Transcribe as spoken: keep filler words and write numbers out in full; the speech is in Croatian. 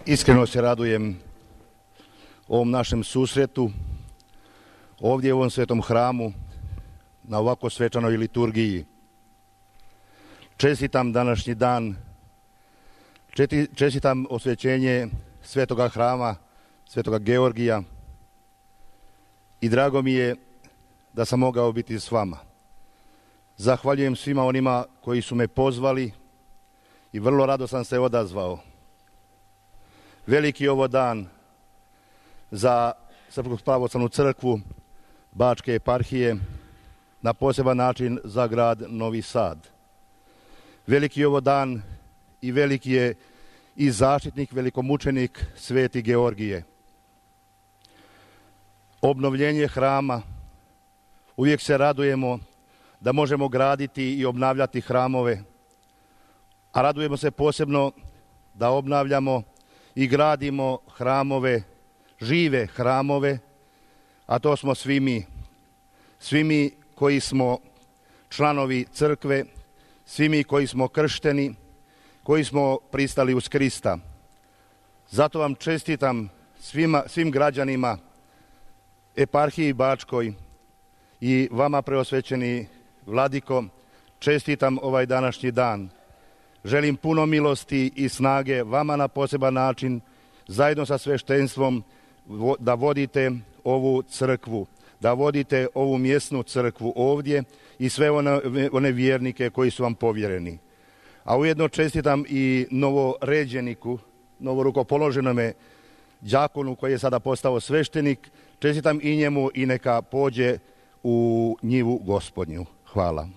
Iskreno se radujem ovom našem susretu, ovdje u ovom svetom hramu, na ovako svečanoj liturgiji. Čestitam današnji dan, čestitam osvećenje svetoga hrama, svetoga Georgija i drago mi je da sam mogao biti s vama. Zahvaljujem svima onima koji su me pozvali i vrlo rado sam se odazvao. Veliki je ovo dan za Srpsku pravoslavnu crkvu Bačke eparhije, na poseban način za grad Novi Sad. Veliki je ovo dan i veliki je i zaštitnik, velikomučenik Sveti Georgije. Obnovljenje hrama, uvijek se radujemo da možemo graditi i obnavljati hramove, a radujemo se posebno da obnavljamo i gradimo hramove, žive hramove, a to smo svi mi. Svi mi koji smo članovi crkve, svi mi koji smo kršteni, koji smo pristali uz Krista. Zato vam čestitam svima, svim građanima eparhiji Bačkoj i vama preosvećeni vladiko, čestitam ovaj današnji dan. Želim puno milosti i snage vama na poseban način, zajedno sa sveštenstvom, da vodite ovu crkvu, da vodite ovu mjesnu crkvu ovdje i sve one, one vjernike koji su vam povjereni. A ujedno čestitam i novoređeniku, novorukopoloženome đakonu koji je sada postao sveštenik, čestitam i njemu i neka pođe u njivu Gospodnju. Hvala.